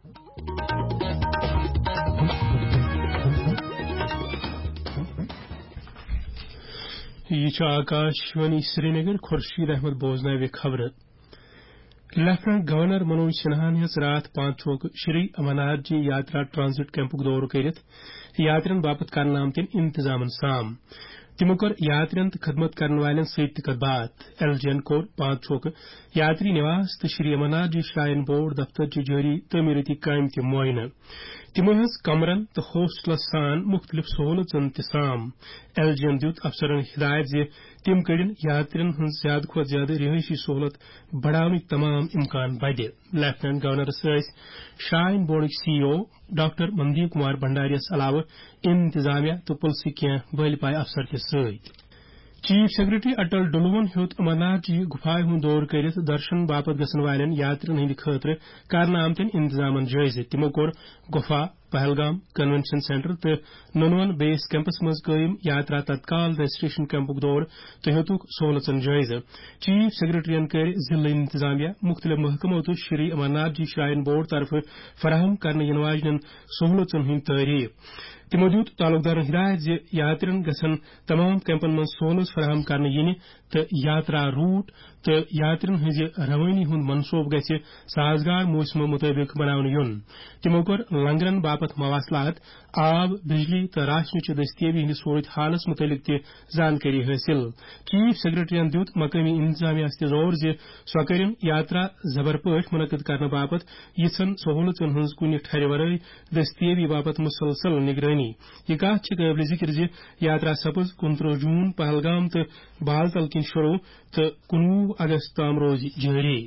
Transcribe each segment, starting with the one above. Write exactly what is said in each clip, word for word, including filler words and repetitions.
یہِ چھُ آکاش وانی سرینگر۔ خورشید احمد بوزناوِ خبرٕ۔ لیفٹیننٹ گورنر منوج سنہاہن ہیٚژ راتھ پانچوک شری امرناتھ جی یاترا ٹرانزٹ کیمپُک دورٕ کٔرِتھ یاترین باپتھ کرنہٕ آمتٮ۪ن انتظامن سام۔ تِمو کٔر یاترین تہٕ خدمت کرن والٮ۪ن سۭتۍ تہِ کتھ باتھ۔ ایل جی ین کوٚر پانچوک یاتری نواس تہٕ شری امرناتھ جی شراین بورڈ دفتر چہِ جٲری تعمیرٲتی کامہِ تہِ معائنہٕ۔ تِمو ہیٚژ کمرن تہٕ ہوسٹلس سان مُختٔلِف سہوٗلژن تہِ سام۔ ایل جی ین دیُت افسرن ہدایت زِ تِم کٔڑِن یاترین ہٕنٛز زیادٕ کھۄتہٕ زیادٕ رہٲیشی سہوٗلت بڑاونٕکۍ تمام امکان بدِ۔ لیفٹیننٹ گورنرس ٲسۍ شراین بورڈٕکۍ سی ای او ڈاکٹر مندیپ کمار بھنڈاریَس علاوٕ انتظامیہ تہٕ پُلسٕکۍ کینٛہہ بٔلۍ پایہِ افسر تہِ سۭتۍ۔ چیف سیکرٹری اٹل ڈلوَن ہیوٚت امرناتھ جی گُفایہِ ہُنٛد دورٕ کٔرِتھ درشن باپتھ گژھن والٮ۪ن یاترین ہٕنٛدِ خٲطرٕ کرنہٕ آمتٮ۪ن انتظامن جٲیزٕ۔ تِمو کوٚر گُفا، پہلگام، کنونشن سینٹر تہٕ نونون بیس کیمپس منٛز قٲیِم یاترا تتکال رجسٹریشن کیمپُک دورٕ تہٕ ہیوٚتُکھ سہوٗلژن جٲیزٕ۔ چیف سیکرٹریَن کٔرۍ ضلعہٕ انتظامیہ، مُختٔلِف محکمو تہٕ شری امرناتھ جی شراین بورڈ طرفہٕ فراہم کرنہٕ یِنہٕ واجنٮ۪ن سہوٗلژن ہٕنٛدۍ تعریف۔ تِمو دیُت تعلقدارن ہدایت زِ یاترین گژھن تمام کیمپن منٛز سہوٗلژ فراہم کرنہٕ یِنہِ تہٕ یاترا روٹ تہٕ یاترین ہٕنٛزِ روٲنی ہُنٛد منصوبہٕ گژھِ سازگار موسمہٕ مُطٲبِق بناونہٕ یُن۔ تِمو کوٚر لنگرن باپتھ مواصلات، آب، بجلی تہٕ راشنہٕ چہِ دستیٲبی ہٕنٛدِس صورت حالس مُتعلق تہِ زانکٲری حٲصِل۔ چیف سیکرٹریَن دیُت مقٲمی انتظامیہس تہِ زور زِ سۄ کٔرِن یاترا زبر پٲٹھۍ منعقد کرنہٕ باپتھ یِژھن سہوٗلژن ہٕنٛز کُنہِ ٹھرِ ورٲے دستیٲبی باپتھ مسلسل نگرٲنی۔ یہِ کتھ چھِ قٲبلِ ذِکر زِ یاترا سپٕز کُنترٕہ جوٗن پہلگام تہٕ بالتل کِنۍ شروع تہٕ کُنوُہ اگست تام روزِ جٲری۔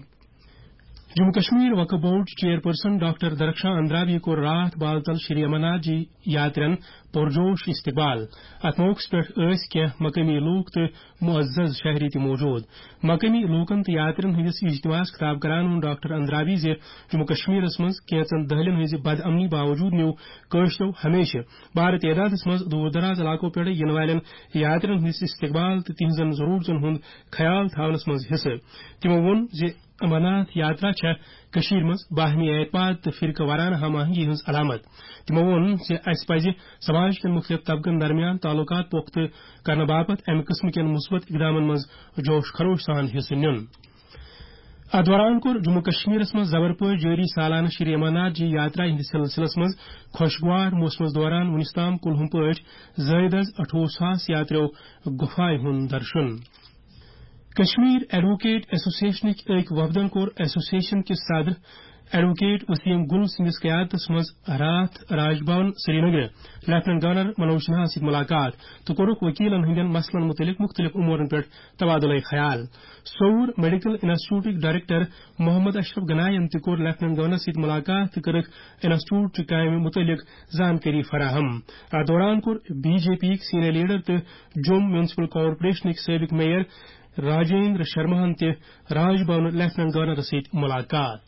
جموں کشمیر وقف بورڈ چیئرپرسن ڈاکٹر درخشاں اندرابی کوٚر راتھ بالتل شری امرناتھ جی یاترین پرجوش استقبال۔ اتھ موقعس پٮ۪ٹھ ٲسۍ کینٛہہ مقٲمی لوٗکھ تہٕ معزز شہری تہِ موجود۔ مقٲمی لوٗکن تہٕ یاترین ہٕنٛدِس اجتماعس خطاب کران ووٚن ڈاکٹر اندرابی زِ جموں کشمیرس منٛز کینٛژن دٔہلن ہٕنٛزِ بدامنی باوجود نیوٗ کٲشرٮ۪و ہمیشہٕ بارٕ تعدادس منٛز دوٗر دراز علاقو پٮ۪ٹھٕ یِنہٕ والٮ۪ن یاترین ہٕنٛدِس استقبال تہٕ تِہنٛزن ضروٗرتن ہُنٛد خیال تھاونس منٛز حصہٕ۔ تِمو ووٚن زِ امرناتھ یاترا چھےٚ کٔشیٖرِ منٛز باہمی اعتماد تہٕ فرقہٕ وارانہٕ ہم آہنگی ہٕنٛز علامت۔ تِمو ووٚن زِ اسہِ پزِ سماج کٮ۪ن مُختٔلِف طبقن درمیان تعلقات پۄختہٕ کرنہٕ باپتھ امہِ قٕسمہٕ کٮ۪ن مثبت اقدامن منٛز جوش خروش سان حصہٕ نیُن۔ اتھ دوران کوٚر جموں کشمیرس منٛز زبر پٲٹھۍ جٲری سالانہٕ شری امرناتھ جی یاترا ہٕنٛدِس سلسلس منٛز خۄشگوار موسمس دوران وُنِس تام کُلہُم پٲٹھۍ زٲیِد از اَٹھووُہ ساس یاتریو گُفایہِ ہُنٛد درشُن۔ کشمیر ایڈووکیٹ ایسوسیشنٕکۍ أکۍ وفدن کوٚر ایسوسیشن کِس صدر ایڈووکیٹ وسیم گل سٕنٛدِس قیادتس منٛز راتھ راج بھون سرینگر لیفٹیننٹ گورنر منوج سنہاہس سۭتۍ ملاقات تہٕ کوٚرُکھ وکیلن ہٕنٛدٮ۪ن مسلن مُتعلق مُختٔلِف امورن پٮ۪ٹھ تبادلہ خیال۔ سوٚوُر میڈیکل انسٹیٹیوٹٕکۍ ڈائریکٹر محمد اشرف گناین تہِ کوٚر لیفٹیننٹ گورنر سۭتۍ ملاقات تہٕ کٔرٕکھ انسٹیٹیوٹ چہِ کامہِ مُتعلق زانکٲری فراہم۔ اتھ دوران کوٚر بی جے پی یِکۍ سینئر لیڈر تہٕ جوٚم میونسپل کارپوریشنٕکۍ سٲبق میئر راجیندر شرماہن تہِ راج بھون لیفٹیننٹ گورنرس سۭتۍ ملاقات۔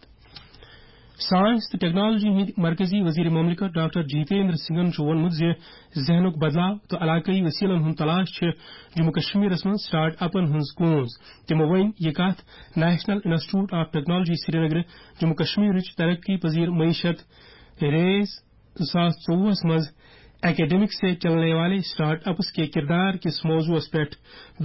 سائنس تہٕ ٹیکنالوجی ہٕنٛدۍ مرکزی وزیر مملکت ڈاکٹر جتیندر سنگھن چھُ ووٚنمُت زِ ذہنُک بدلاو تہٕ علاقٲیی وسیلن ہُنٛد تلاش چھِ جموں کشمیرس منٛز سٹارٹ اپن ہٕنٛز کونز۔ تِمو وۄنۍ یہِ کتھ national institute of technology Srinagar Jammu کشمیرٕچ ترقی پذیر معیشت ریز زٕ ساس ژوٚوُہس منٛز اکیڈمک سے چلنے والے سٹارٹ اپس کے کردار کِس موضوعس پٮ۪ٹھ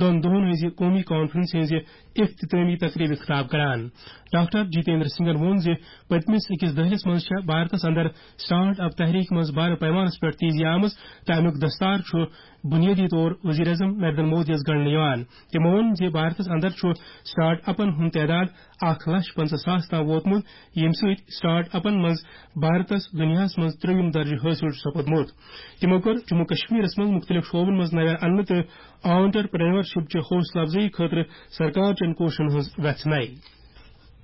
دۄن دۄہن ہٕنٛزِ قومی کانفرنس ہٕنٛزِ اختتٲمی تقریبہِ خطاب کران۔ ڈاکٹر جتیندر سنگھن ووٚن زِ پٔتمِس أکِس دٔہلِس منٛز چھےٚ بھارتس اندر سٹارٹ اپ تحریک منٛز بڑٕ پیمانس پٮ۪ٹھ تیزی آمٕژ تہٕ امیُک دستار چھُ بنیٲدی طور وزیر اعظم نریندر مودیَس گنڈنہٕ یِوان۔ تِمو ووٚن زِ بھارتس اندر چھُ سٹارٹ اپن ہُنٛد تعداد اکھ لچھ پنٛژاہ ساس تام ووتمُت، ییٚمہِ سۭتۍ سٹارٹ اپن منٛز بھارتس دُنیاہس منٛز ترٛیٚیِم درجہٕ حٲصِل چھُ سپُدمُت۔ تِمو کٔر جموں کشمیرس منٛز مُختٔلِف شعبن منٛز نوٮ۪ر اننہٕ تہٕ آنٹرپرینورشپ چہِ حوصلہٕ افزٲیی خٲطرٕ سرکار چٮ۪ن کوٗششن ہٕنٛز وٮ۪ژھناے۔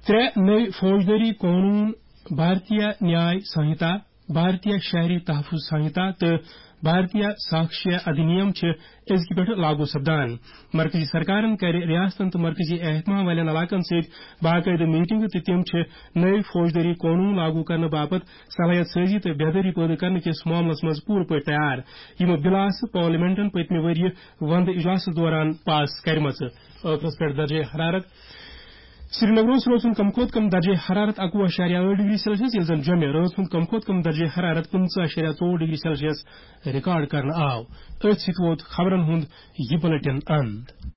ترٛےٚ نٔوۍ فوجدٲری قونوٗن، بھارتیہ نیاے سنہتا، بھارتیہ شہری تحفظ سنہتا تہٕ بھارتیہ ساکشیہ ادھینیم چھِ أزکہِ پٮ۪ٹھٕ لاگو سپدان۔ مرکزی سرکارن کَرِ ریاستن تہٕ مرکزی اہتمام والٮ۪ن علاقن سۭتۍ باقٲعدٕ میٹنگہٕ تہٕ تِم چھِ نٔوۍ فوجدٲری قونوٗن لاگو کرنہٕ باپتھ صلٲحیت سٲزی تہٕ بیدٲری پٲدٕ کرنہٕ کِس معاملس منٛز پوٗرٕ پٲٹھۍ تیار۔ یِم بِل آسہٕ پارلیمنٹن پٔتمہِ ؤرۍ یہِ ونٛدٕ اجلاسس دوران پاس کرِمژٕ۔ ٲخرس پٮ۪ٹھ درجہ حرارت۔ سرینگرس روز ہُنٛد کم کھۄتہٕ کم درجہ حرارت اکوُہ اَشاریہ ٲٹھ ڈگری سیلسیس، ییٚلہِ زن جوٚمہِ رٲژ ہُنٛد کم کھۄتہٕ کم درجہ حرارت پٕنٛژٕہ اَشاریہ ژور ڈگری سیلسیس ریکارڈ کرنہٕ آو۔ أتھۍ سۭتۍ ووت خبرن ہُنٛد یہِ بلیٹن اند۔